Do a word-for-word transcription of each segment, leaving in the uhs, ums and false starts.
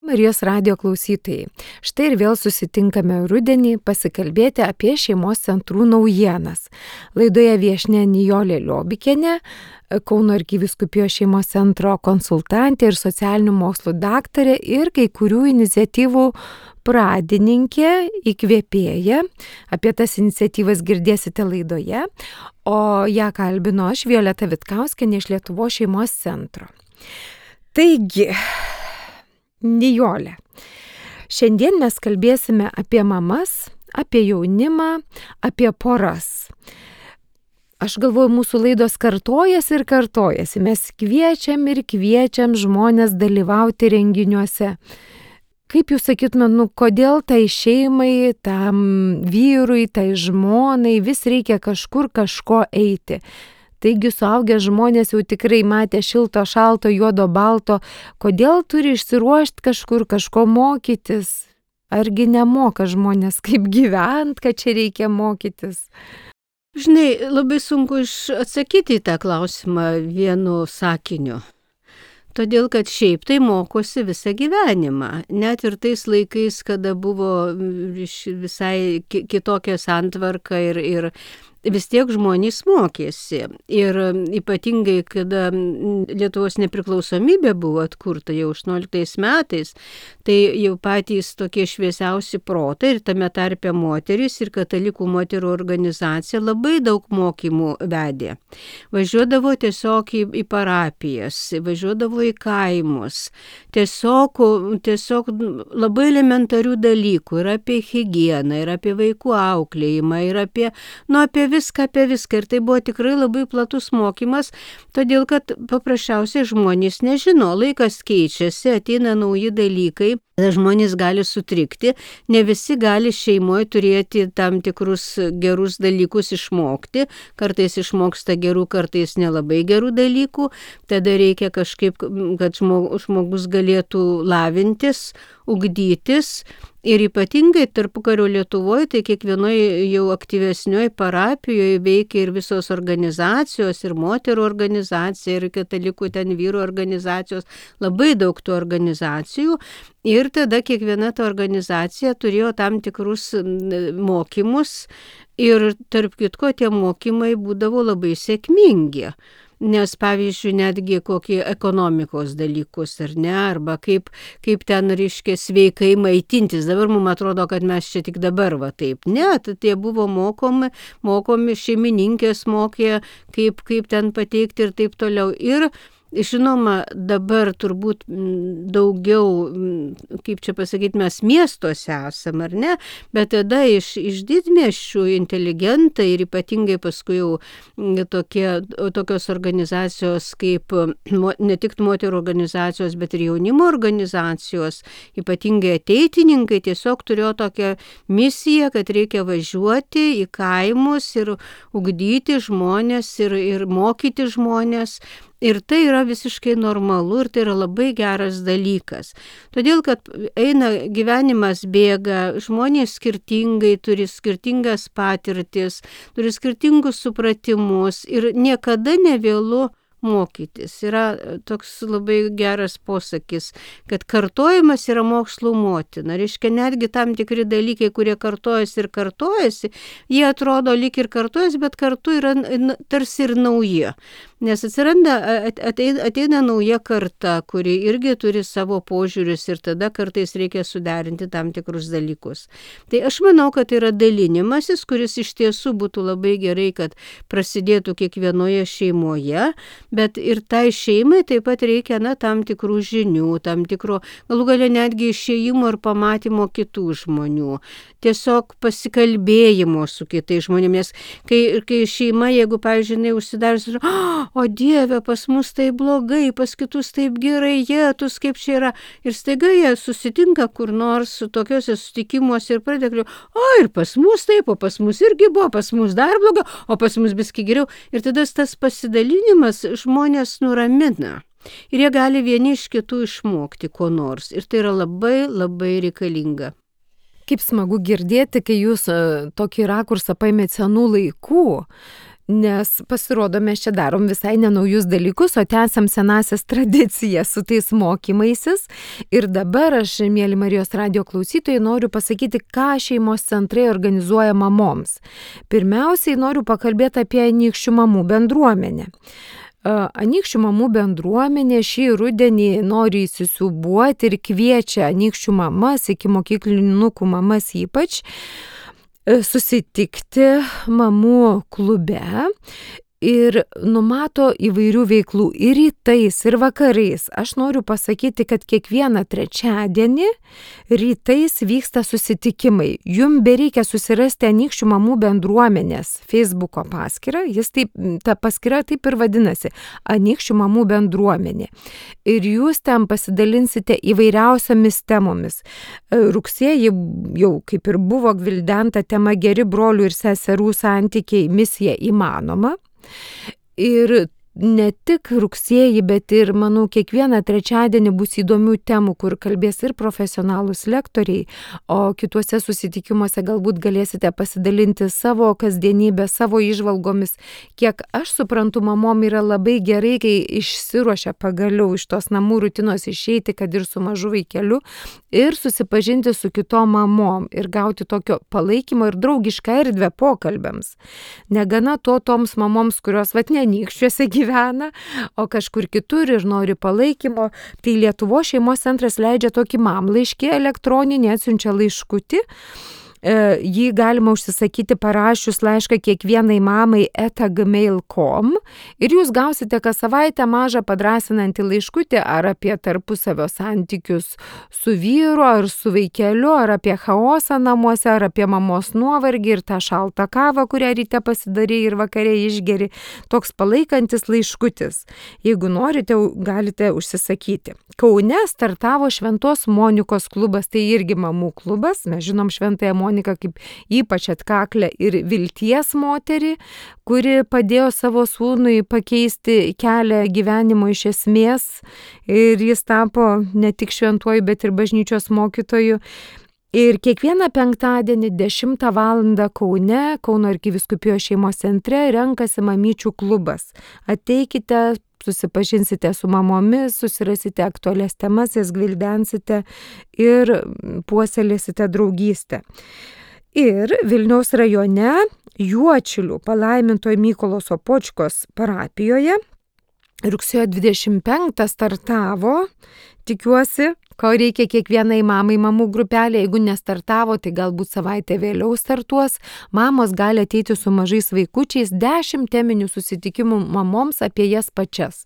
Marijos radijo klausytojai. Štai ir vėl susitinkame rudenį pasikalbėti apie šeimos centrų naujienas. Laidoje viešnia Nijolė Liobikienė, Kauno arkivyskupijos šeimos centro konsultantė ir socialinių mokslų daktarė ir kai kurių iniciatyvų pradininkė, įkvėpėja. Apie tas iniciatyvas girdėsite laidoje, o ją kalbino aš, Violeta Vitkauskienė iš Lietuvos šeimos centro. Taigi, Nijolė, šiandien mes kalbėsime apie mamas, apie jaunimą, apie poras. Aš galvoju, mūsų laidos kartojasi ir kartojasi. Mes kviečiam ir kviečiam žmonės dalyvauti renginiuose. Kaip jūs sakytumėt, nu kodėl tai šeimai, tam vyrui, tai žmonai vis reikia kažkur kažko eiti? Taigi suaugę žmonės jau tikrai matė šilto, šalto, juodo, balto. Kodėl turi išsiruošti kažkur, kažko mokytis? Argi nemoka žmonės kaip gyventi, kad čia reikia mokytis? Žinai, labai sunku atsakyti į tą klausimą vienu sakiniu. Todėl, kad šiaip tai mokosi visą gyvenimą. Net ir tais laikais, kada buvo visai kitokia santvarka ir, ir vis tiek žmonės mokėsi. Ir ypatingai, kada Lietuvos nepriklausomybė buvo atkurta jau aštuonioliktais metais, tai jau patys tokie šviesiausi protai ir tame tarpe moterys ir katalikų moterų organizacija labai daug mokymų vedė. Važiuodavo tiesiog į, į parapijas, važiuodavo į kaimus. Tiesiog, tiesiog labai elementarių dalykų ir apie higieną, ir apie vaikų auklėjimą, ir apie, nu, apie viską, apie viską. Ir tai buvo tikrai labai platus mokymas, todėl kad paprasčiausiai žmonės nežino, laikas keičiasi, ateina nauji dalykai, žmonės gali sutrikti, ne visi gali šeimoje turėti tam tikrus gerus dalykus išmokti, kartais išmoksta gerų, kartais nelabai gerų dalykų, tada reikia kažkaip, kad žmogus galėtų lavintis, ugdytis. Ir ypatingai tarpukario Lietuvoje, tai kiekvienoje jau aktyvesnioje parapijoje veikia ir visos organizacijos, ir moterų organizacija, ir katalikų ten vyrų organizacijos, labai daug tų organizacijų. Ir tada kiekviena ta organizacija turėjo tam tikrus mokymus ir tarp kitko tie mokymai būdavo labai sėkmingi. Nes, pavyzdžiui, netgi kokie ekonomikos dalykus, ar ne, arba kaip, kaip ten, reiškia, sveikai maitintis. Dabar mums atrodo, kad mes čia tik dabar va taip. Ne, tai buvo mokomi, mokomi šeimininkės mokė, kaip, kaip ten pateikti ir taip toliau. Ir žinoma, dabar turbūt daugiau, kaip čia pasakyti, mes miestuose esam, ar ne, bet tada iš, iš didmiesčių inteligentai ir ypatingai paskui jau tokie, tokios organizacijos kaip ne tik moterų organizacijos, bet ir jaunimo organizacijos, ypatingai ateitininkai tiesiog turėjo tokią misiją, kad reikia važiuoti į kaimus ir ugdyti žmonės ir, ir mokyti žmonės. Ir tai yra visiškai normalu ir tai yra labai geras dalykas. Todėl, kad eina gyvenimas bėga, žmonės skirtingai turi skirtingas patirtis, turi skirtingus supratimus ir niekada nevėlu mokytis. Yra toks labai geras posakis, kad kartojimas yra mokslų motina. Reiškia, netgi tam tikri dalykai, kurie kartojasi ir kartojasi, jie atrodo lyg ir kartojasi, bet kartu yra tarsi ir nauji. Nes atsiranda, ateina, ateina nauja karta, kuri irgi turi savo požiūrius ir tada kartais reikia suderinti tam tikrus dalykus. Tai aš manau, kad tai yra dalinimasis, kuris iš tiesų būtų labai gerai, kad prasidėtų kiekvienoje šeimoje, bet ir tai šeimai taip pat reikia, na, tam tikrų žinių, tam tikro, galų galia netgi išėjimo ir pamatymo kitų žmonių. Tiesiog pasikalbėjimo su kitais žmonėmis. Kai, kai šeima, jeigu, pavyzdžiui, užsidarius, o Dieve, pas mus tai blogai, pas kitus taip gerai, jėtus, kaip čia yra. Ir staiga jie susitinka kur nors su tokiuose susitikimuose ir pradėkliu, o ir pas mus taip, o pas mus irgi buvo, pas mus dar blogiau, o pas mus biski geriau. Ir tada tas pasidalinimas žmonės nuramina. Ir jie gali vieni iš kitų išmokti ko nors. Ir tai yra labai, labai reikalinga. Kaip smagu girdėti, kai jūs tokį rakursą paėmėt senų laikų. Nes pasirodo, mes čia darom visai nenaujus dalykus, o tęsiam senasias tradicijas su tais mokymaisis. Ir dabar aš, mėly Marijos radijo klausytojai, noriu pasakyti, ką šeimos centrai organizuoja mamoms. Pirmiausiai noriu pakalbėti apie Anykščių mamų bendruomenę. Anykščių mamų bendruomenė šį rudenį nori įsisiūbuoti ir kviečia Anykščių mamas, iki mokyklinukų mamas ypač, susitikti mamų klube ir numato įvairių veiklų ir rytais, ir vakarais. Aš noriu pasakyti, kad kiekvieną trečiadienį rytais vyksta susitikimai. Jums bereikia susirasti Anykščių mamų bendruomenės Facebooko paskyrą. Jis taip, ta paskyra taip ir vadinasi – Anykščių mamų bendruomenė. Ir jūs ten pasidalinsite įvairiausiamis temomis. Rugsėjį jau kaip ir buvo gvildenta tema geri brolių ir seserų santykiai, misija įmanoma. Ir ne tik rugsėjį, bet ir, manau, kiekvieną trečiadienį bus įdomių temų, kur kalbės ir profesionalūs lektoriai, o kituose susitikimuose galbūt galėsite pasidalinti savo kasdienybę, savo įžvalgomis. Kiek aš suprantu, mamom yra labai gerai, kai išsiruošia pagaliau iš tos namų rutinos išeiti, kad ir su mažu vaikeliu, ir susipažinti su kitom mamom ir gauti tokio palaikymo ir draugišką erdvę pokalbiams. Negana to toms mamoms, kurios vat ne Anykščiuose gyvena, o kažkur kitur ir nori palaikymo, tai Lietuvos šeimos centras leidžia tokį mamlaiškį elektroninį, atsiunčia laiškutį. Jį galima užsisakyti parašius laišką kiekvienai mamai eta gmail taškas com ir jūs gausite kas savaitę mažą padrąsinantį laiškutį ar apie tarpusavio santykius su vyru ar su vaikeliu, ar apie chaosą namuose, ar apie mamos nuovargį ir tą šaltą kavą, kurią ryte pasidarė ir vakare išgeri. Toks palaikantis laiškutis. Jeigu norite, galite užsisakyti. Kaune startavo Šventos Monikos klubas, tai irgi mamų klubas. Mes žinom Šventąją Moniką kaip ypač atkaklę ir vilties moterį, kuri padėjo savo sūnui pakeisti kelią gyvenimo iš esmės ir jis tapo ne tik šventuoju, bet ir bažnyčios mokytoju. Ir kiekvieną penktadienį dešimtą valandą Kaune, Kauno arkivyskupijos šeimos centre renkasi mamyčių klubas. Ateikite, susipažinsite su mamomis, susirasite aktualias temas, jas gvildensite ir puoselėsite draugystę. Ir Vilniaus rajone Juodšilių palaimintojo Mykolo Sopočkos parapijoje rugsėjo dvidešimt penktą startavo, tikiuosi, ko reikia kiekvienai mamai mamų grupelė, jeigu nestartavo, tai galbūt savaitę vėliau startuos. Mamos gali ateiti su mažais vaikučiais, dešimt teminių susitikimų mamoms apie jas pačias.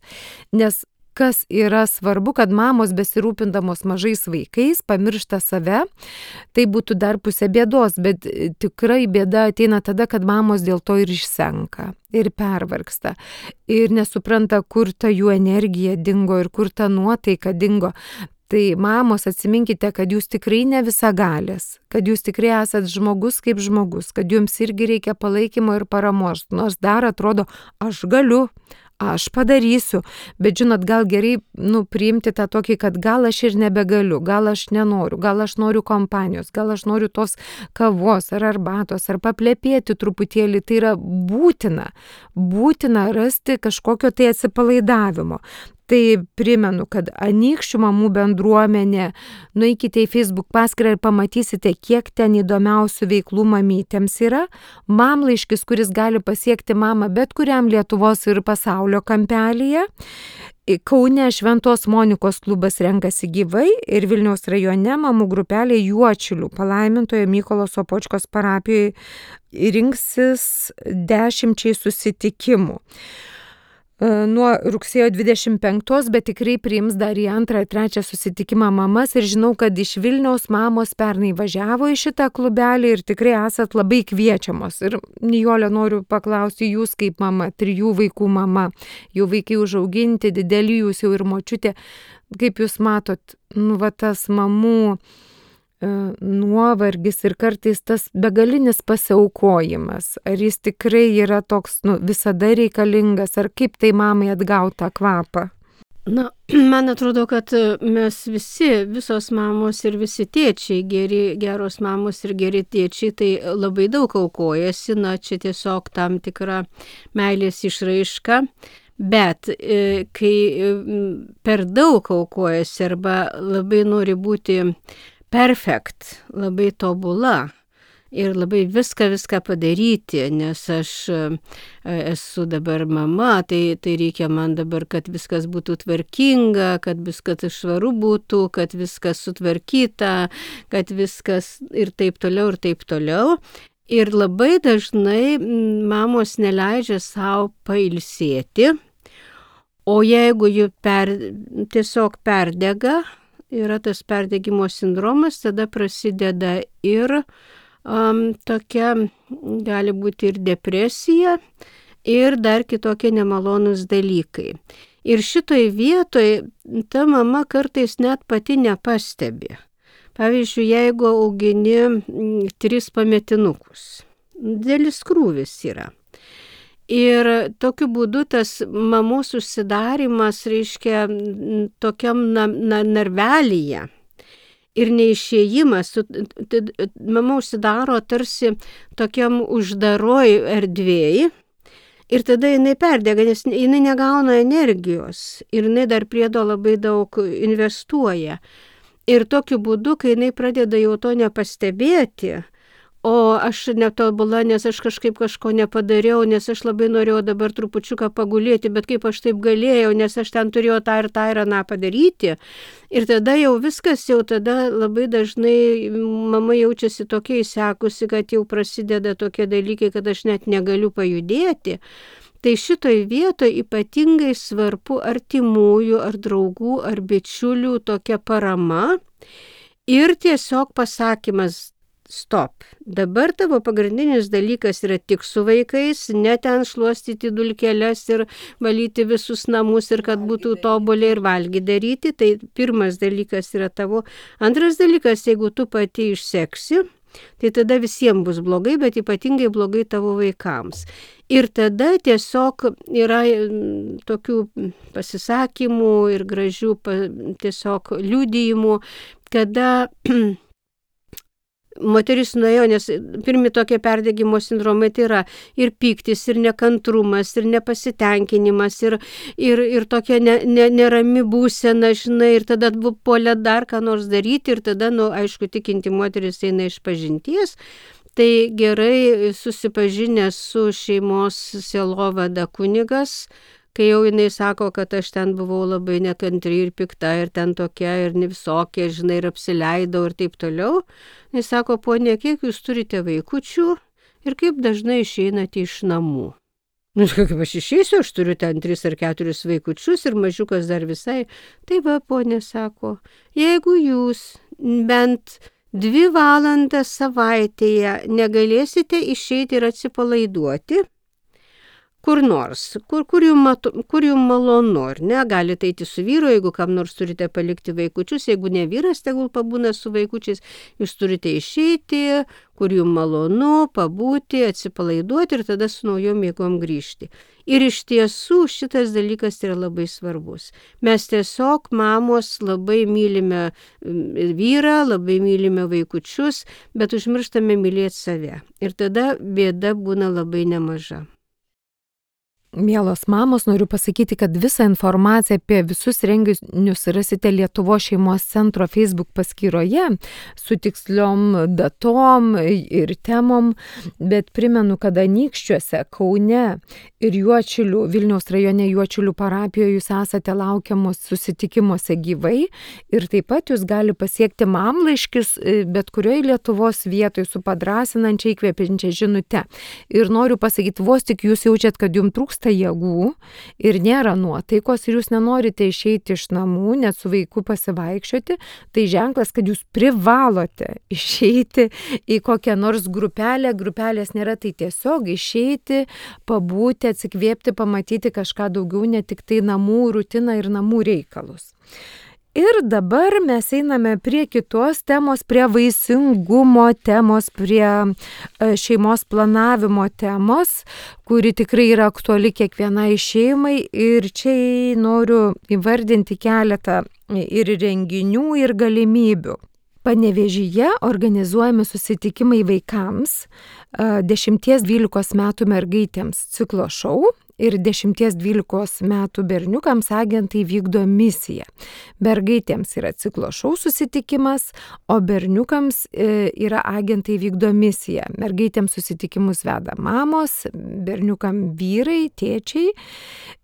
Nes kas yra svarbu, kad mamos besirūpindamos mažais vaikais pamiršta save, tai būtų dar pusė bėdos, bet tikrai bėda ateina tada, kad mamos dėl to ir išsenka, ir pervargsta, ir nesupranta, kur ta jų energija dingo ir kur ta nuotaika dingo. Tai mamos, atsiminkite, kad jūs tikrai ne visagalės, kad jūs tikrai esat žmogus kaip žmogus, kad jums irgi reikia palaikymo ir paramos, nors dar atrodo, aš galiu, aš padarysiu, bet žinot, gal gerai nu, priimti tą tokį, kad gal aš ir nebegaliu, gal aš nenoriu, gal aš noriu kompanijos, gal aš noriu tos kavos ar arbatos, ar paplepėti truputėlį, tai yra būtina, būtina rasti kažkokio tai atsipalaidavimo. Tai primenu, kad Anykščių mamų bendruomenė, nueikite į Facebook paskyrą ir pamatysite, kiek ten įdomiausių veiklų mamytėms yra. Mamlaiškis, kuris gali pasiekti mamą bet kuriam Lietuvos ir pasaulio kampelyje. Kaune Šventos Monikos klubas renkasi gyvai ir Vilniaus rajone mamų grupelė Juodšilių palaimintojo Mykolo Sopočkos parapijoje rinksis dešimčiai susitikimų. Nuo rugsėjo dvidešimt penktos, bet tikrai priims dar į antrą ir trečią susitikimą mamas ir žinau, kad iš Vilniaus mamos pernai važiavo į šitą klubelį ir tikrai esat labai kviečiamos. Ir Nijolė, noriu paklausti jūs kaip mama, trijų vaikų mama, jų vaikai užauginti, dideli jūs jau ir močiutė, kaip jūs matot, nu va tas mamų nuovargis ir kartais tas begalinis pasiaukojimas, ar jis tikrai yra toks nu, visada reikalingas, ar kaip tai mamai atgauti tą kvapą? Na, man atrodo, kad mes visi, visos mamos ir visi tėčiai, geri, geros mamos ir geri tėčiai, tai labai daug aukojasi, na, čia tiesiog tam tikra meilės išraiška, bet e, kai per daug aukojasi arba labai nori būti perfekt, labai tobula, ir labai viską, viską padaryti, nes aš esu dabar mama, tai, tai reikia man dabar, kad viskas būtų tvarkinga, kad viskas švaru būtų, kad viskas sutvarkyta, kad viskas ir taip toliau, ir taip toliau. Ir labai dažnai mamos neleidžia savo pailsėti, o jeigu jų per, tiesiog perdega, yra tas perdegimo sindromas, tada prasideda ir Um, tokia gali būti ir depresija, ir dar kitokie nemalonūs dalykai. Ir šitoj vietoj ta mama kartais net pati nepastebi. Pavyzdžiui, jeigu augini mm, tris pametinukus, didelis krūvis yra. Ir tokiu būdu tas mamos užsidarimas reiškia tokiam na, na, narvelyje. Ir neišėjimas, mama užsidaro tarsi tokiam uždaroj erdvėj ir tada jinai perdega, nes jinai negauna energijos ir jinai dar priedo labai daug investuoja. Ir tokiu būdu, kai jinai pradeda jau to nepastebėti, o aš netobula, nes aš kažkaip kažko nepadariau, nes aš labai norėjau dabar trupučiuką pagulėti, bet kaip aš taip galėjau, nes aš ten turėjau tą ir tą ir aną padaryti. Ir tada jau viskas, jau tada labai dažnai mama jaučiasi tokia įsekusi, kad jau prasideda tokie dalykai, kad aš net negaliu pajudėti. Tai šitoj vietoje ypatingai svarbu artimųjų, ar draugų, ar bičiulių tokia parama ir tiesiog pasakymas, stop. Dabar tavo pagrindinis dalykas yra tik su vaikais, ne ten šluostyti dulkeles ir valyti visus namus ir kad būtų tobuliai ir valgyti daryti. Tai pirmas dalykas yra tavo. Antras dalykas, jeigu tu pati išseksi, tai tada visiems bus blogai, bet ypatingai blogai tavo vaikams. Ir tada tiesiog yra tokių pasisakymų ir gražių tiesiog liudijimų, kada moteris nuėjo, nes pirmi tokie perdegimo sindromai tai yra ir pyktis, ir nekantrumas, ir nepasitenkinimas, ir, ir, ir tokia ne, ne, nerami būsena, žinai, ir tada puolė dar ką nors daryti, ir tada, nu, aišku, tikinti moteris eina iš pažinties. Tai gerai susipažinęs su šeimos sielovada kunigas, kai jau jinai sako, kad aš ten buvau labai nekantri ir pikta ir ten tokia ir ne visokia, žinai, ir apsileidau ir taip toliau. Jis sako, ponė, kiek jūs turite vaikučių ir kaip dažnai išeinate iš namų. Nu, kaip aš išeisiu, aš turiu ten tris ar keturis vaikučius ir mažiukas dar visai. Tai va, ponė sako, jeigu jūs bent dvi valandas savaitėje negalėsite išeiti ir atsipalaiduoti, kur nors, kur, kur jums jum malonu, ar ne, galite eiti su vyru, jeigu kam nors turite palikti vaikučius, jeigu ne vyras, tegul pabūna su vaikučiais, jūs turite išeiti, kur jums malonu, pabūti, atsipalaiduoti ir tada su naujom jėgom grįžti. Ir iš tiesų šitas dalykas yra labai svarbus. Mes tiesiog, mamos, labai mylime vyrą, labai mylime vaikučius, bet užmirštame mylėti save. Ir tada bėda būna labai nemaža. Mielos mamos, noriu pasakyti, kad visą informaciją apie visus renginius rasite Lietuvos šeimos centro Facebook paskyroje su tiksliom datom ir temom, bet primenu, kad Anykščiuose, Kaune ir Juodšilių, Vilniaus rajone Juodšilių parapijoje jūs esate laukiamos susitikimuose gyvai ir taip pat jūs gali pasiekti mamlaiškis bet kurioje Lietuvos vietoje su padrasinančia įkvepiančia žinute. Ir noriu pasakyti, vos tik jūs jaučiat, kad jums trūksta jėgų ir nėra nuotaikos ir jūs nenorite išeiti iš namų, net su vaiku pasivaikščioti, tai ženklas, kad jūs privalote išeiti į kokią nors grupelę. Grupelės nėra, tai tiesiog išeiti, pabūti, atsikvėpti, pamatyti kažką daugiau, ne tik tai namų rutiną ir namų reikalus. Ir dabar mes einame prie kitos temos, prie vaisingumo temos, prie šeimos planavimo temos, kuri tikrai yra aktuali kiekvienai šeimai. Ir čia noriu įvardinti keletą ir renginių, ir galimybių. Panevėžyje organizuojami susitikimai vaikams, dešimties dvylikos metų mergaitėms ciklo šou ir dešimties dvylikos metų berniukams agentai vykdo misiją. Mergaitėms yra ciklo šou susitikimas, o berniukams yra agentai vykdo misiją. Mergaitėms susitikimus veda mamos, berniukam vyrai, tėčiai.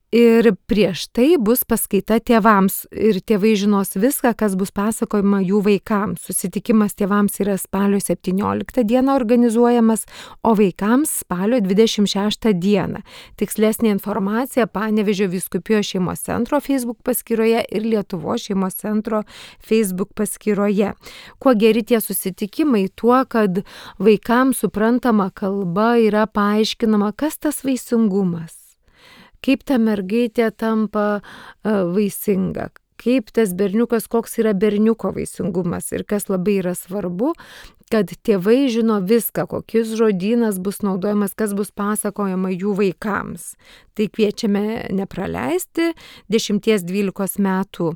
Ir prieš tai bus paskaita tėvams ir tėvai žinos viską, kas bus pasakojama jų vaikams. Susitikimas tėvams yra spalio septynioliktą dieną organizuojamas, o vaikams spalio dvidešimt šeštą dieną. Tikslesnė informacija Panevėžio vyskupijos šeimos centro Facebook paskyroje ir Lietuvos šeimos centro Facebook paskyroje. Kuo geri tie susitikimai? Tuo, kad vaikams suprantama kalba yra paaiškinama, kas tas vaisingumas. Kaip ta mergaitė tampa vaisinga, kaip tas berniukas, koks yra berniuko vaisingumas. Ir kas labai yra svarbu, kad tėvai žino viską, kokis žodynas bus naudojamas, kas bus pasakojama jų vaikams. Tai kviečiame nepraleisti dešimties dvylikos metų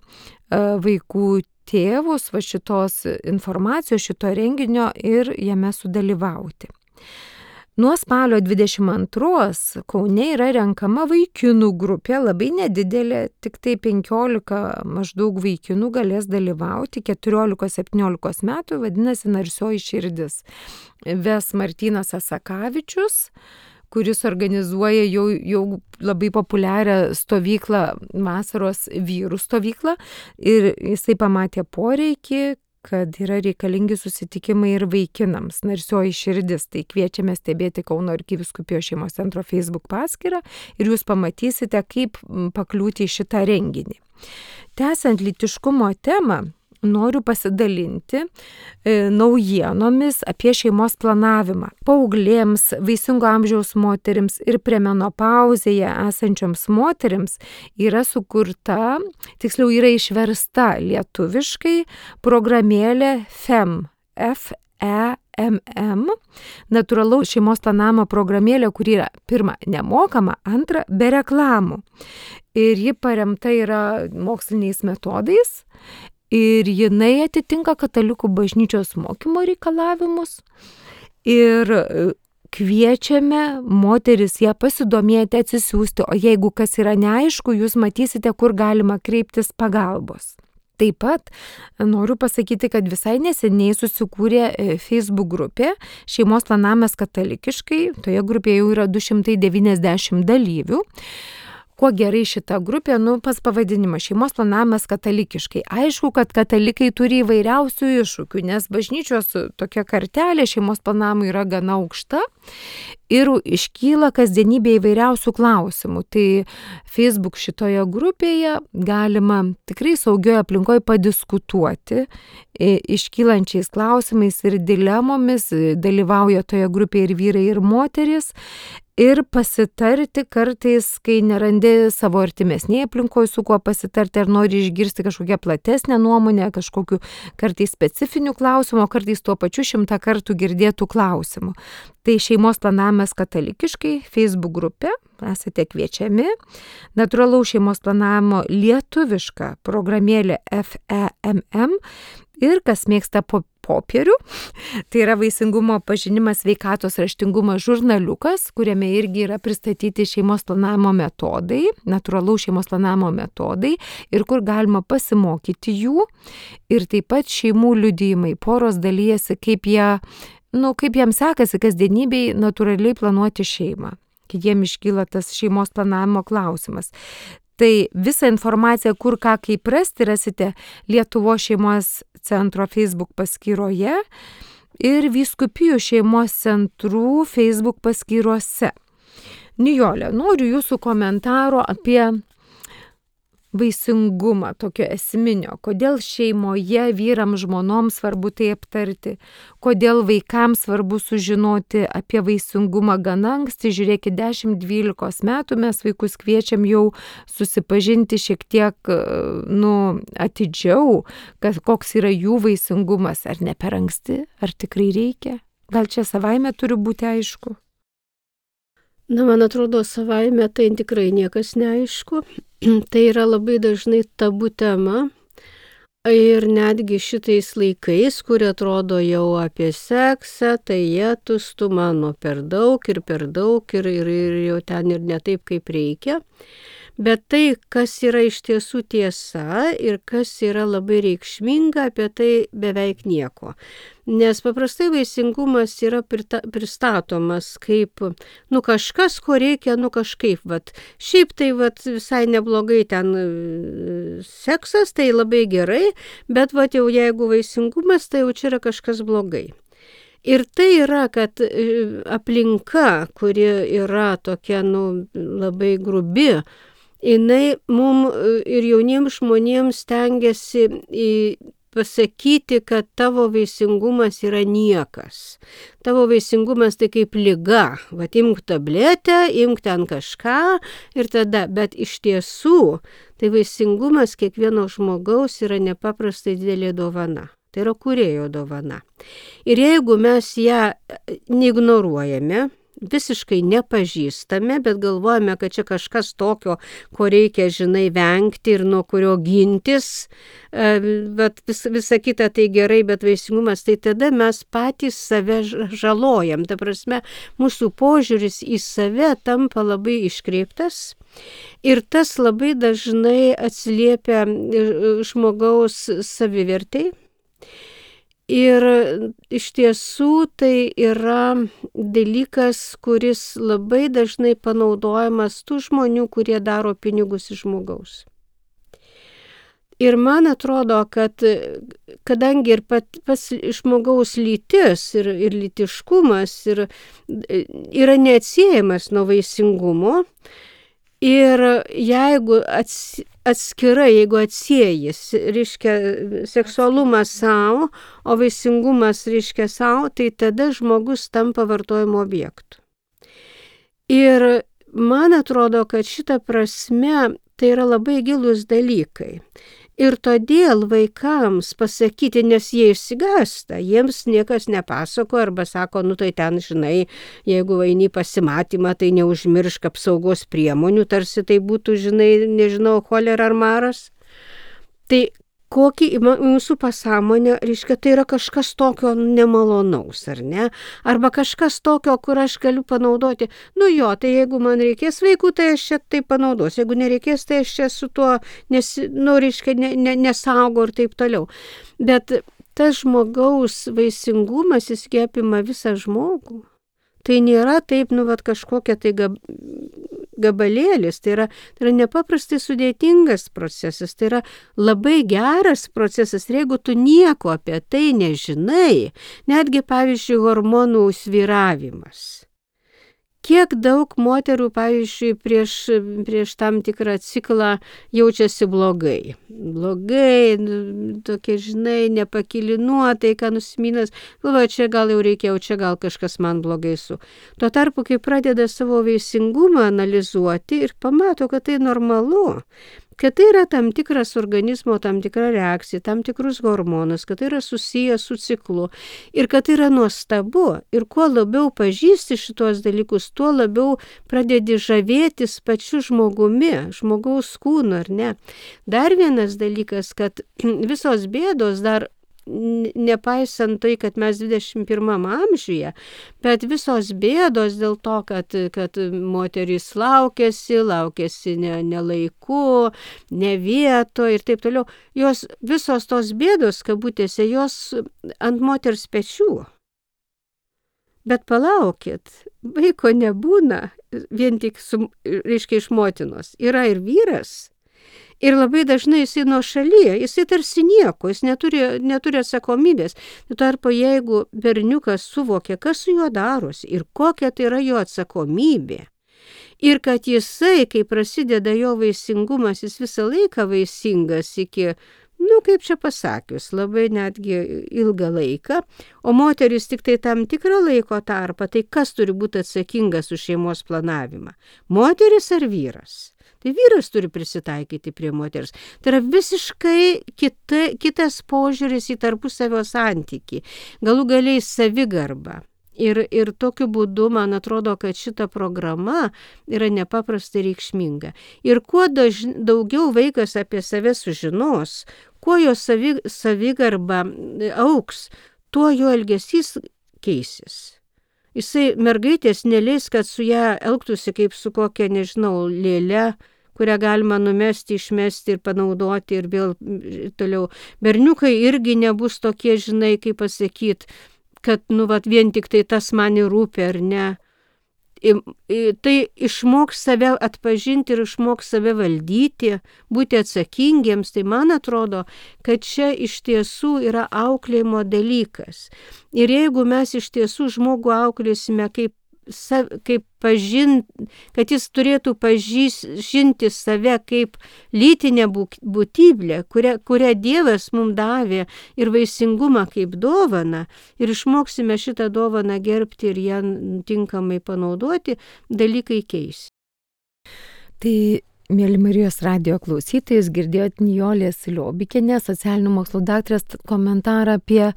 vaikų tėvus va šitos informacijos, šito renginio ir jame sudalyvauti. Nuo spalio dvidešimt antros Kaune yra renkama vaikinų grupė, labai nedidelė, tik tai penkiolika maždaug vaikinų galės dalyvauti, keturiolikos septyniolikos metų, vadinasi Narsioji širdis. Ves Martynas Asakavičius, kuris organizuoja jau, jau labai populiarią stovyklą, vasaros vyrų stovyklą, ir jisai pamatė poreikį, kad yra reikalingi susitikimai ir vaikinams. Narsioji širdis, tai kviečiame stebėti Kauno arkivyskupijos šeimos centro Facebook paskyrą ir jūs pamatysite, kaip pakliūti į šitą renginį. Tęsiant lytiškumo temą, noriu pasidalinti e, naujienomis apie šeimos planavimą. Paauglėms, vaisingo amžiaus moterims ir premenopauzėje esančioms moterims yra sukurta, tiksliau yra išversta lietuviškai programėlė F E M, F E M M, natūralaus šeimos planavimo programėlė, kuri yra pirma nemokama, antra be reklamų. Ir ji paremta yra moksliniais metodais. Ir jinai atitinka katalikų bažnyčios mokymo reikalavimus ir kviečiame moteris ją pasidomėti, atsisiųsti, o jeigu kas yra neaišku, jūs matysite, kur galima kreiptis pagalbos. Taip pat noriu pasakyti, kad visai neseniai susikūrė Facebook grupė Šeimos planavimas katalikiškai, toje grupėje jau yra du šimtai devyniasdešimt dalyvių. Kuo gerai šita grupė, nu, pas pavadinimą šeimos planavimas katalikiškai. Aišku, kad katalikai turi įvairiausių iššūkių, nes bažnyčios tokia kartelė šeimos planavimui yra gana aukšta ir iškyla kasdienybė įvairiausių klausimų. Tai Facebook šitoje grupėje galima tikrai saugioje aplinkoje padiskutuoti iškylančiais klausimais ir dilemomis, dalyvauja toje grupėje ir vyrai, ir moteris. Ir pasitarti kartais, kai nerandi savo artimesnėje aplinkoje, su kuo pasitarti, ar nori išgirsti kažkokią platesnę nuomonę, kažkokiu kartais specifinių klausimų, o kartais tuo pačiu šimtą kartų girdėtų klausimų. Tai šeimos planavimas katalikiškai, Facebook grupė, esate kviečiami. Natūralaus šeimos planavimo lietuviška programėlė F E M M ir kas mėgsta po popierių, tai yra vaisingumo pažinimas sveikatos raštingumas žurnaliukas, kuriame irgi yra pristatyti šeimos planavimo metodai, natūralaus šeimos planavimo metodai ir kur galima pasimokyti jų. Ir taip pat šeimų liudijimai, poros dalyjasi, kaip jie, nu, kaip jiems sekasi kasdienybėj natūraliai planuoti šeimą, kai jiem iškyla tas šeimos planavimo klausimas. Tai visą informaciją, kur ką kaip rasti, rasite Lietuvos šeimos centro Facebook paskyroje ir vyskupijų šeimos centrų Facebook paskyrose. Nijolė, noriu jūsų komentaro apie vaisingumą tokio esminio, kodėl šeimoje vyram žmonoms svarbu tai aptarti, kodėl vaikams svarbu sužinoti apie vaisingumą gana anksti, žiūrėkit, dešimt dvylikos metų mes vaikus kviečiam jau susipažinti šiek tiek, nu, atidžiau, kad koks yra jų vaisingumas, ar ne per anksti, ar tikrai reikia, gal čia savaime turi būti aišku. Na, man atrodo, savaime tai tikrai niekas neaišku. Tai yra labai dažnai tabu tema. Ir netgi šitais laikais, kurie atrodo jau apie seksą, tai jėtus tu mano per daug ir per daug ir, ir, ir jau ten ir ne taip, kaip reikia. Bet tai, kas yra iš tiesų tiesa ir kas yra labai reikšminga, apie tai beveik nieko. Nes paprastai vaisingumas yra pristatomas kaip, nu kažkas, ko reikia, nu kažkaip, vat. Šiaip tai vat, visai neblogai ten seksas, tai labai gerai, bet vat, jau jeigu vaisingumas, tai jau čia yra kažkas blogai. Ir tai yra, kad aplinka, kuri yra tokia, nu, labai grubi, jinai mum ir jauniems žmonėms stengiasi pasakyti, kad tavo vaisingumas yra niekas. Tavo vaisingumas tai kaip liga. Vat imk tabletę, imk ten kažką ir tada. Bet iš tiesų, tai vaisingumas kiekvieno žmogaus yra nepaprastai didelė dovana. Tai yra kūrėjo dovana. Ir jeigu mes ją neignoruojame, visiškai nepažįstame, bet galvojame, kad čia kažkas tokio, ko reikia, žinai, vengti ir nuo kurio gintis, bet vis, visa kita tai gerai, bet vaisingumas, tai tada mes patys save žalojam. Ta prasme, mūsų požiūris į save tampa labai iškreiptas ir tas labai dažnai atsiliepia žmogaus savivertei. Ir iš tiesų tai yra dalykas, kuris labai dažnai panaudojamas tų žmonių, kurie daro pinigus iš žmogaus. Ir man atrodo, kad kadangi ir pat, pas žmogaus lytis ir, ir lytiškumas ir, yra neatsiejamas nuo vaisingumo, ir jeigu ats, atskirai, jeigu atsiejis, reiškia seksualumas savo, o vaisingumas reiškia savo, tai tada žmogus tampa vartojimo objektu. Ir man atrodo, kad šita prasme tai yra labai gilūs dalykai. Ir todėl vaikams pasakyti, nes jie išsigąsta, jiems niekas nepasako arba sako, nu tai ten, žinai, jeigu eini pasimatymą, tai neužmiršk apsaugos priemonių, tarsi tai būtų, žinai, nežinau, cholera ar maras. Tai kokį mūsų pasąmonė, reiškia, tai yra kažkas tokio nemalonaus, ar ne? Arba kažkas tokio, kur aš galiu panaudoti. Nu jo, tai jeigu man reikės vaikų, tai aš čia tai panaudosiu. Jeigu nereikės, tai aš čia su tuo, nes, nu, reiškia, ne, ne, nesaugo ir taip toliau. Bet tas žmogaus vaisingumas, jis apima visą žmogų. Tai nėra taip, nu, vat, kažkokia tai gab, gabalėlis, tai yra, tai yra nepaprastai sudėtingas procesas, tai yra labai geras procesas, ir jeigu tu nieko apie tai nežinai, netgi, pavyzdžiui, hormonų svyravimas. Kiek daug moterų, pavyzdžiui, prieš, prieš tam tikrą ciklą jaučiasi blogai. Blogai, tokie, žinai, nepakili nuotaika, nusiminęs, galvoja, čia gal jau reikėjo, čia gal kažkas man blogai su. Tuo tarpu, kai pradeda savo vaisingumą analizuoti ir pamato, kad tai normalu, kad tai yra tam tikras organizmo, tam tikra reakcija, tam tikrus hormonus, kad tai yra susijęs su ciklu ir kad tai yra nuostabu. Ir kuo labiau pažįsti šitos dalykus, tuo labiau pradedi žavėtis pačiu žmogumi, žmogaus kūnu, ar ne. Dar vienas dalykas, kad visos bėdos dar, nepaisant tai, kad mes dvidešimt pirmam amžiuje, bet visos bėdos dėl to, kad, kad moterys laukėsi, laukėsi ne, ne laiku, ne vieto ir taip toliau, jos, visos tos bėdos, kabutėse, jos ant moters pečių. Bet palaukit, vaiko nebūna vien tik, su, reiškia, iš motinos. Yra ir vyras. Ir labai dažnai jisai nuo šalyje, jisai tarsi nieko, jis neturi, neturi atsakomybės. Tuo tarpu, jeigu berniukas suvokia, kas su juo darosi ir kokia tai yra jo atsakomybė, Ir kad jisai, kai prasideda jo vaisingumas, jis visą laiką vaisingas iki, nu, kaip čia pasakius, labai netgi ilgą laiką, o moteris tik tai tam tikrą laiko tarpą, tai kas turi būti atsakingas už šeimos planavimą? Moteris ar vyras? Tai vyras turi prisitaikyti prie moters. Tai yra visiškai kita, kitas požiūris į tarpusavio santykį, galų galiai savigarba. Ir, ir tokiu būdu, man atrodo, kad šita programa yra nepaprastai reikšminga. Ir kuo daž, daugiau vaikas apie save sužinos, kuo jo savi, savigarba auks, tuo jo elgesys keisis. Jisai mergaitės neleis, kad su ją elgtųsi kaip su kokia, nežinau, lėle, kurią galima numesti, išmesti ir panaudoti ir vėl toliau. Berniukai irgi nebus tokie, žinai, kaip pasakyti, kad, nu, vat, vien tik tai tas man rūpi ar ne. I, i, tai išmoks save atpažinti ir išmoks save valdyti, būti atsakingiems. Tai man atrodo, kad čia iš tiesų yra auklėjimo dalykas. Ir jeigu mes iš tiesų žmogų auklėsime kaip, kaip pažint, kad jis turėtų pažinti save kaip lytinę būtybę, kurią, kurią Dievas mums davė, ir vaisingumą kaip dovaną, ir išmoksime šitą dovaną gerbti ir ją tinkamai panaudoti, dalykai keis. Tai, mėly Marijos radijo klausytojus, girdėjot Nijolės Liobikienės, socialinių mokslų daktarės komentarą apie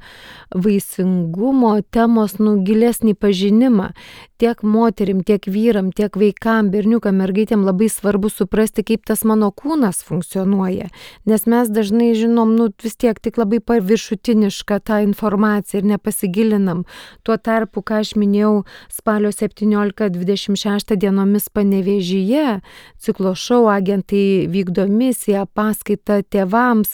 vaisingumo temos nu gilesnį pažinimą. Tiek moterim, tiek vyram, tiek vaikam, berniukam, mergaitėm labai svarbu suprasti, kaip tas mano kūnas funkcionuoja. Nes mes dažnai žinom, nu vis tiek tik labai paviršutinišką tą informaciją ir nepasigilinam. Tuo tarpu, ką aš minėjau, spalio septynioliktą dvidešimt šeštą dienomis Panevėžyje, ciklo šou agentai vykdo misiją, paskaitą tėvams,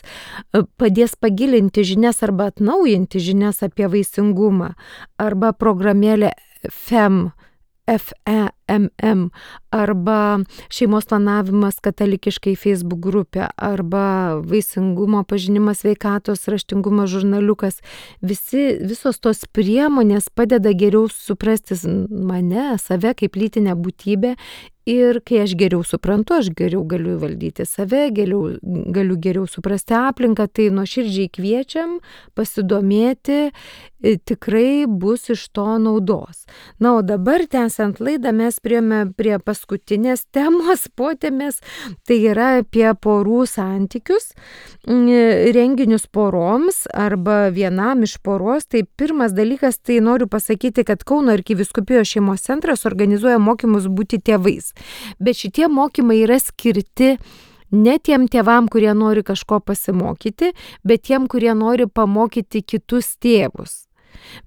padės pagilinti žinias arba atnaujinti žinias apie vaisingumą, arba programėlė F E M, F E M M, arba šeimos planavimas katalikiškai Facebook grupė, arba vaisingumo pažinimas sveikatos raštingumo žurnaliukas. Visi, visos tos priemonės padeda geriau suprasti mane, save kaip lytinę būtybę. Ir kai aš geriau suprantu, aš geriau galiu valdyti save, geriau, galiu geriau suprasti aplinką, tai nuoširdžiai kviečiam pasidomėti, tikrai bus iš to naudos. Na, o dabar, tęsiant laidą, mes priėjome prie paskutinės temos, potėmės, tai yra apie porų santykius, renginius poroms arba vienam iš poros. Tai pirmas dalykas, tai noriu pasakyti, kad Kauno arkivyskupijos šeimos centras organizuoja mokymus būti tėvais. Bet šitie mokymai yra skirti ne tiem tėvam, kurie nori kažko pasimokyti, bet tiem, kurie nori pamokyti kitus tėvus.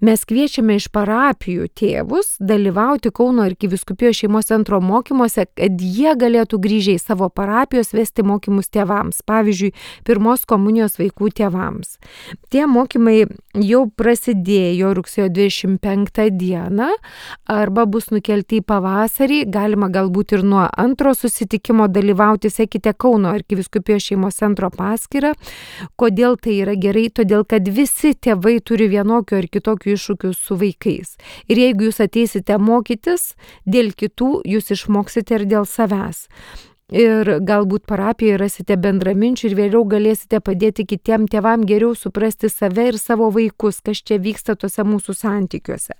Mes kviečiame iš parapijų tėvus dalyvauti Kauno arkivyskupijos šeimos centro mokymuose, kad jie galėtų grįžę į savo parapijos vesti mokymus tėvams, pavyzdžiui, pirmos komunijos vaikų tėvams. Tie mokymai jau prasidėjo rugsėjo dvidešimt penktą dieną arba bus nukelti į pavasarį, galima galbūt ir nuo antro susitikimo dalyvauti, sekite Kauno arkivyskupijos šeimos centro paskyrą. Kodėl tai yra gerai? Todėl, kad visi tėvai turi vienokio ar kitokių iššūkių su vaikais. Ir jeigu jūs ateisite mokytis dėl kitų, jūs išmoksite ir dėl savęs. Ir galbūt parapijoje rasite bendraminčių ir vėliau galėsite padėti kitiem tėvam geriau suprasti save ir savo vaikus, kas čia vyksta tuose mūsų santykiuose.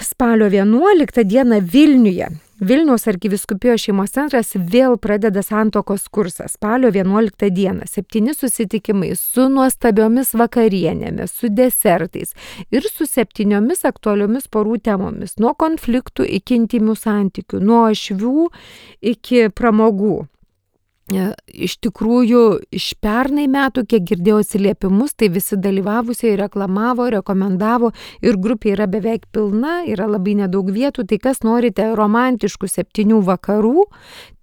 Spalio vienuoliktą dieną Vilniuje Vilniaus arkivyskupijos šeimos centras vėl pradeda santuokos kursą. Spalio vienuoliktą dieną septyni susitikimai su nuostabiomis vakarienėmis, su desertais ir su septyniomis aktualiomis porų temomis, nuo konfliktų iki intymių santykių, nuo ašvių iki pramogų. Iš tikrųjų, iš pernai metų, kiek girdėjau atsiliepimus, tai visi dalyvavusiai reklamavo, rekomendavo ir grupė yra beveik pilna, yra labai nedaug vietų, tai kas norite romantiškų septynių vakarų,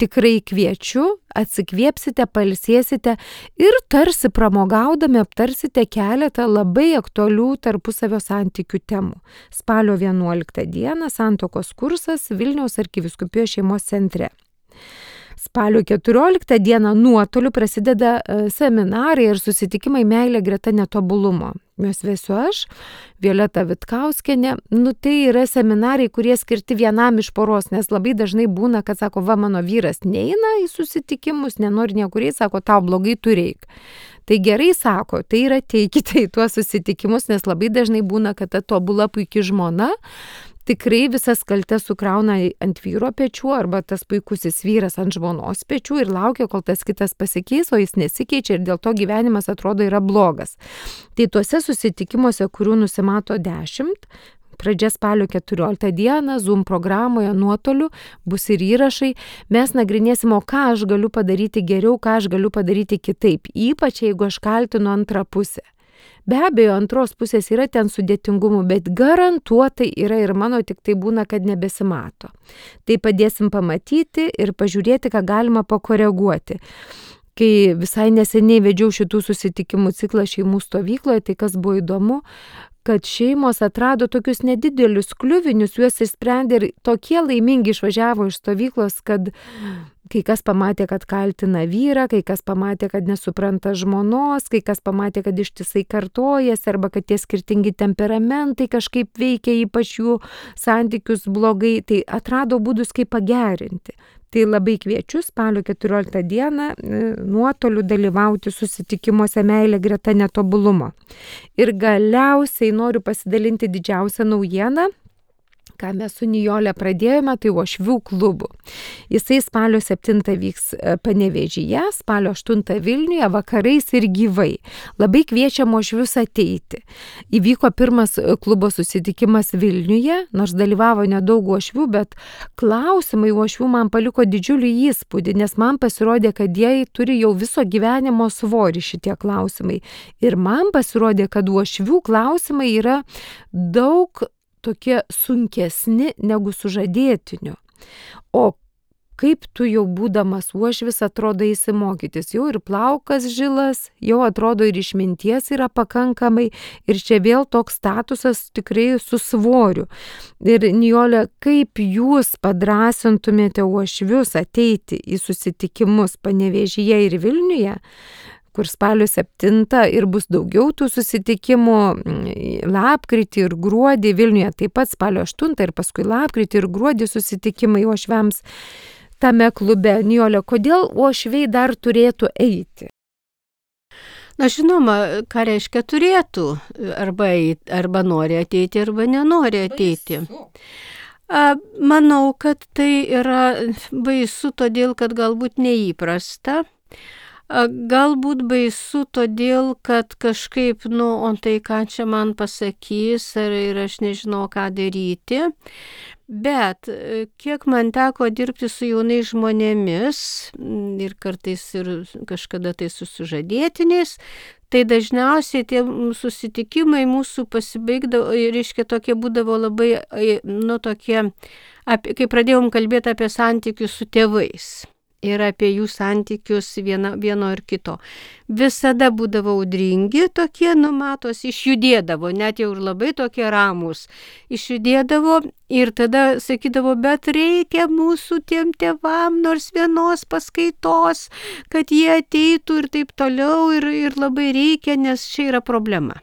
tikrai kviečiu, atsikvėpsite, pailsėsite ir tarsi pramogaudami aptarsite keletą labai aktualių tarpusavio santykių temų. Spalio vienuoliktą dieną santuokos kursas Vilniaus arkivyskupijos šeimos centre. Spalio keturioliktą dieną nuotoliu prasideda seminarai ir susitikimai Meilė greta netobulumo. juos vesiu aš, Violeta Vitkauskienė. Nu, tai yra seminarai, kurie skirti vienam iš poros, nes labai dažnai būna, kad sako, va, mano vyras neina į susitikimus, nenori niekuriai, sako, tau blogai tu reik. Tai gerai sako, tai yra teikite į tuos susitikimus, nes labai dažnai būna, kad ta tobula puikia žmona tikrai visas kaltes sukrauna ant vyro pečių arba tas puikusis vyras ant žmonos pečių ir laukia, kol tas kitas pasikeis, o jis nesikeičia ir dėl to gyvenimas atrodo yra blogas. Tai tuose susitikimuose, kurių nusimato dešimt, pradžia spalio keturioliktą dieną, Zoom programoje nuotoliu bus ir įrašai, mes nagrinėsim, o ką aš galiu padaryti geriau, ką aš galiu padaryti kitaip, ypač jeigu aš kaltinu antrą pusę. Be abejo, antros pusės yra ten sudėtingumų, bet garantuotai yra ir mano, tik tai būna, kad nebesimato. Tai padėsim pamatyti ir pažiūrėti, ką galima pakoreguoti. Kai visai neseniai vedžiau šitų susitikimų ciklą šeimų stovykloje, tai kas buvo įdomu, kad šeimos atrado tokius nedidelius kliuvinius, juos išsprendė ir tokie laimingi išvažiavo iš stovyklos, kad kai kas pamatė, kad kaltina vyrą, kai kas pamatė, kad nesupranta žmonos, kai kas pamatė, kad ištisai kartojasi arba kad tie skirtingi temperamentai kažkaip veikia ypač jų santykius blogai, tai atrado būdus, kaip pagerinti. Tai labai kviečiu spalio keturioliktą dieną nuotoliu dalyvauti susitikimuose Meilė greta netobulumo. Ir galiausiai noriu pasidalinti didžiausią naujieną, ką mes su Nijole pradėjome, tai uošvių klubų. Jisai spalio septintą vyks Panevėžyje, spalio aštuntą Vilniuje, vakarais ir gyvai. Labai kviečiam uošvius ateiti. Įvyko pirmas klubo susitikimas Vilniuje, nors dalyvavo nedaug uošvių, bet klausimai uošvių man paliko didžiulį įspūdį, nes man pasirodė, kad jie turi jau viso gyvenimo svorį šitie klausimai. Ir man pasirodė, kad uošvių klausimai yra daug tokie sunkesni negu sužadėtinių. O kaip tu jau būdamas uošvis atrodo įsimokytis, jau ir plaukas žilas, jau atrodo ir išminties yra pakankamai ir čia vėl toks statusas tikrai su svoriu. Ir Nijole, kaip jūs padrasintumėte uošvius ateiti į susitikimus Panevėžyje ir Vilniuje, kur spalio septintą ir bus daugiau tų susitikimų, lapkritį ir gruodį, Vilniuje taip pat spalio aštuntą ir paskui lapkritį ir gruodį susitikimai uošviams tame klube. Nijole, kodėl uošviai dar turėtų eiti? Na, žinoma, ką reiškia turėtų, arba, arba nori ateiti, arba nenori ateiti. Manau, kad tai yra baisu, todėl kad galbūt neįprasta. Galbūt baisu todėl, kad kažkaip, nu, o tai ką čia man pasakys, ar ir aš nežinau, ką daryti. Bet kiek man teko dirbti su jaunais žmonėmis ir kartais ir kažkada tai su sužadėtiniais, tai dažniausiai tie susitikimai mūsų pasibaigdavo, reiškia, tokie būdavo labai, nu, tokie, apie, kai pradėjom kalbėti apie santykius su tėvais. Ir apie jų santykius vieno, vieno ir kito. Visada būdavo audringi tokie, numatos, išjudėdavo, net jau ir labai tokie ramus. Išjudėdavo ir tada sakydavo, bet reikia mūsų tiem tėvam nors vienos paskaitos, kad jie ateitų ir taip toliau ir, ir labai reikia, nes čia yra problema.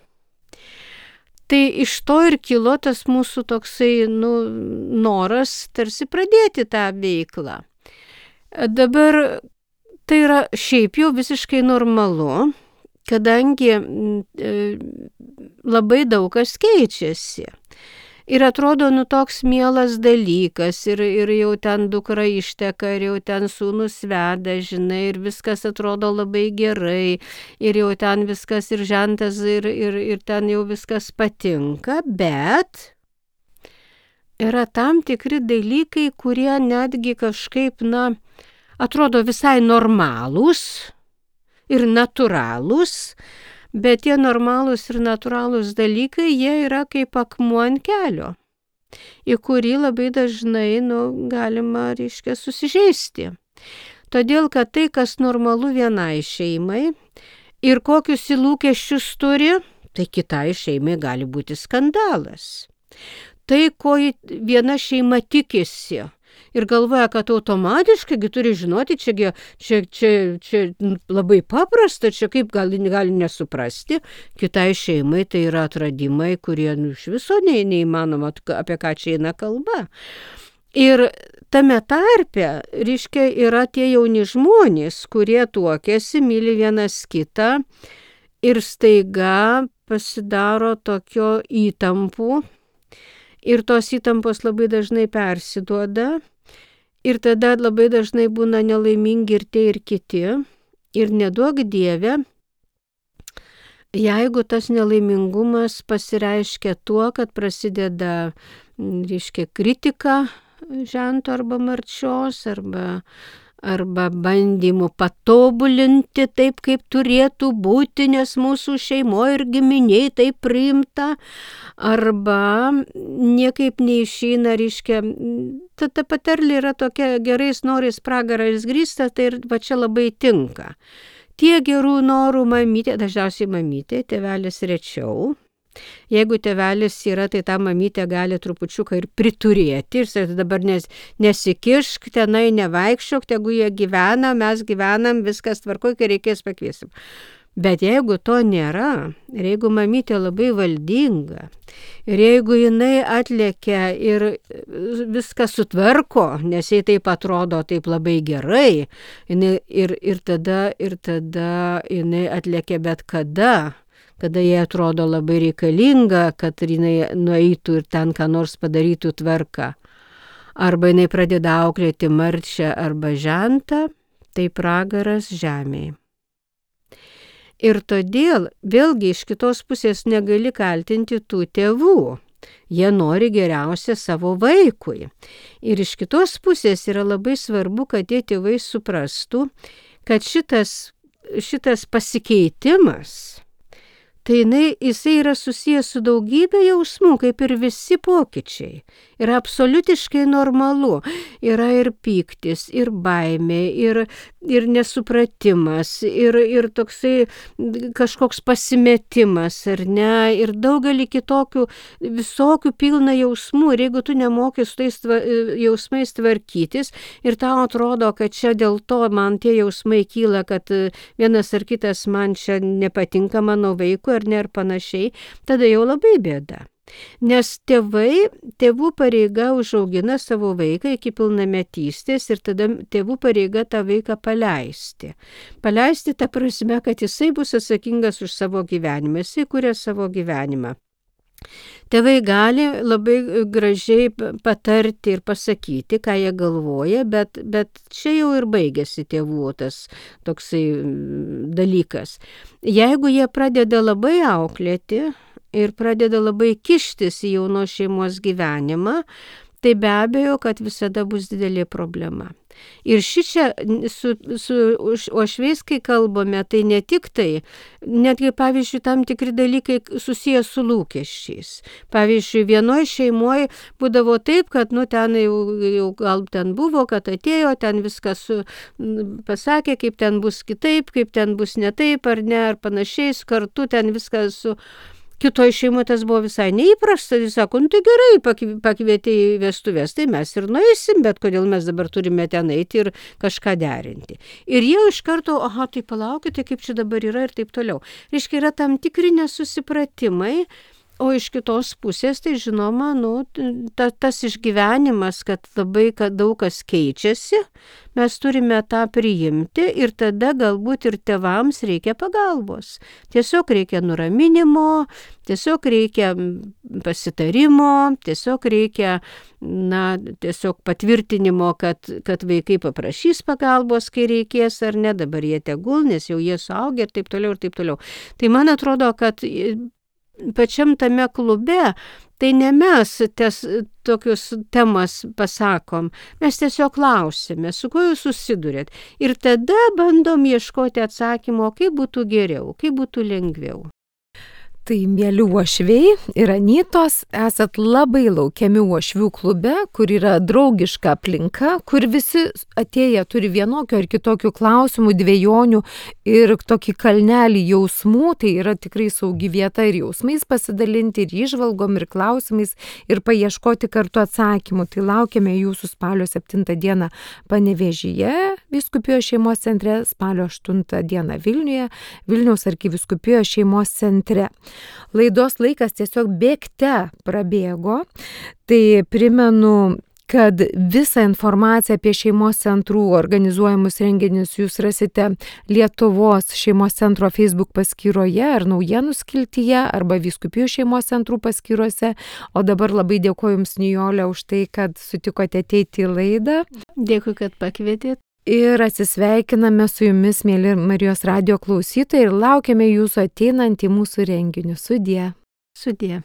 Tai iš to ir kilo tas mūsų toksai, nu, noras tarsi pradėti tą veiklą. Dabar tai yra šiaip jau visiškai normalu, kadangi e, labai daug kas keičiasi. Ir atrodo, nu, toks mielas dalykas, ir, ir jau ten dukra išteka, ir jau ten sūnus veda, žinai, ir viskas atrodo labai gerai, ir jau ten viskas ir žentas, ir, ir, ir ten jau viskas patinka, bet yra tam tikri dalykai, kurie netgi kažkaip, na, atrodo visai normalūs ir natūralūs, bet tie normalūs ir natūralūs dalykai, jie yra kaip akmuo ant kelio, į kurį labai dažnai, nu, galima, reiškia, susižeisti. Todėl, kad tai, kas normalu vienai šeimai ir kokius lūkesčius turi, tai kitai šeimai gali būti skandalas. Tai, ko viena šeima tikisi, Ir galvoja, kad automatiškai turi žinoti, čia, čia, čia, čia labai paprasta, čia kaip gali, gali nesuprasti. Kitai šeimai tai yra atradimai, kurie nu, iš viso ne, neįmanoma, apie ką čia eina kalba. Ir tame tarpe, reiškia, yra tie jauni žmonės, kurie tuokiasi, myli vienas kitą ir staiga pasidaro tokio įtampų. Ir tos įtampos labai dažnai persiduoda. Ir tada labai dažnai būna nelaimingi ir tie, ir kiti. Ir neduok Dieve, jeigu tas nelaimingumas pasireiškia tuo, kad prasideda, reiškia, kritika žento arba marčios, arba, arba bandymų patobulinti taip, kaip turėtų būti, nes mūsų šeimoje ir giminiai taip priimta, arba niekaip neišeina, reiškia, ta, ta patarlė yra tokia gerais norais pragarais grįsta, tai ir va čia labai tinka. Tie gerų norų mamytė, dažniausiai mamytė, tėvelis rečiau. Jeigu tėvelis yra, tai tą mamytę gali trupučiuką ir priturėti ir sakyti, dabar nes, nesikišk, tenai nevaikščiok, tegu jie gyvena, mes gyvenam, viskas tvarkoj, kai reikės pakviesim. Bet jeigu to nėra, ir jeigu mamytė labai valdinga, ir jeigu jinai atlėkia ir viską sutvarko, nes jai taip atrodo taip labai gerai, jinai, ir, ir, tada, ir tada jinai atlėkia bet kada, kada jai atrodo labai reikalinga, kad jinai nueitų ir ten ką nors padarytų tvarką. Arba jinai pradeda auklėti marčią arba žentą, tai pragaras žemėje. Ir todėl vėlgi iš kitos pusės negali kaltinti tų tėvų. Jie nori geriausia savo vaikui. Ir iš kitos pusės yra labai svarbu, kad tie tėvai suprastų, kad šitas, šitas pasikeitimas, tai jinai, jisai yra susijęs su daugybė jausmų, kaip ir visi pokyčiai. Yra absoliutiškai normalu. Yra ir pyktis, ir baimė, ir, ir nesupratimas, ir, ir toksai kažkoks pasimetimas, ar ne, ir daugelį kitokių, visokių pilna jausmų. Ir jeigu tu nemoki su tais tva, jausmais tvarkytis, ir tau atrodo, kad čia dėl to man tie jausmai kyla, kad vienas ar kitas man čia nepatinka mano vaikui, ar ne, ar panašiai, tada jau labai bėda. Nes tėvai, tėvų pareiga užaugina savo vaiką iki pilnametystės ir tada tėvų pareiga tą vaiką paleisti. Paleisti ta prasme, kad jisai bus atsakingas už savo gyvenimą, jisai kuria savo gyvenimą. Tėvai gali labai gražiai patarti ir pasakyti, ką jie galvoja, bet, bet čia jau ir baigėsi tėvų tas toksai dalykas. Jeigu jie pradeda labai auklėti ir pradeda labai kištis į jaunos šeimos gyvenimą, tai be abejo, kad visada bus didelė problema. Ir šičia su, su uošviais, kai kalbame, tai ne tik tai, netgi, pavyzdžiui, tam tikri dalykai susiję su lūkesčiais. Pavyzdžiui, vienoje šeimoje būdavo taip, kad, nu, ten jau, jau gal ten buvo, kad atėjo, ten viskas su, pasakė, kaip ten bus kitaip, kaip ten bus ne taip, ar ne, ar panašiais, kartu ten viskas su... Kitoj šeimoje tas buvo visai neįprasta, jis sako, nu tai gerai, pakvietė į vestuvės, tai mes ir nueisim, bet kodėl mes dabar turime ten eiti ir kažką derinti. Ir jie iš karto, aha, tai palaukite, kaip čia dabar yra ir taip toliau. Reiškia, yra tam tikri nesusipratimai, o iš kitos pusės, tai žinoma, nu, ta, tas išgyvenimas, kad labai kad daug kas keičiasi, mes turime tą priimti ir tada galbūt ir tėvams reikia pagalbos. Tiesiog reikia nuraminimo, tiesiog reikia pasitarimo, tiesiog reikia, na, tiesiog patvirtinimo, kad, kad vaikai paprašys pagalbos, kai reikės ar ne, dabar jie tegul, nes jau jie suaugę ir taip toliau ir taip toliau. Tai man atrodo, kad pačiam tame klube, tai ne mes tes, tokius temas pasakom, mes tiesiog klausime, su kuo jūs susidurėt. Ir tada bandom ieškoti atsakymo, kaip būtų geriau, kaip būtų lengviau. Tai mėly uošviai ir anytos, esat labai laukiami uošvių klube, kur yra draugiška aplinka, kur visi atėję turi vienokio ar kitokių klausimų, dvejonių ir tokį kalnelį jausmų, tai yra tikrai saugi vieta ir jausmais pasidalinti, ir įžvalgom, ir klausimais, ir paieškoti kartu atsakymų. Tai laukiame jūsų spalio septintą dieną Panevėžyje, Vyskupijos šeimos centre, spalio aštuntą dieną Vilniuje, Vilniaus arkivyskupijos šeimos centre. Laidos laikas tiesiog bėgte prabėgo, tai primenu, kad visą informaciją apie šeimos centrų organizuojamus renginius jūs rasite Lietuvos šeimos centro Facebook paskyroje ar naujienų skiltyje arba Vyskupijų šeimos centrų paskyrose. O dabar labai dėkoju Jums, Nijole, už tai, kad sutikote ateiti į laidą. Dėkui, kad pakvietėt. Ir atsisveikiname su Jumis, mėly Marijos radijo klausytojai, ir laukiame Jūsų ateinant į mūsų renginius. Sudie. Sudie.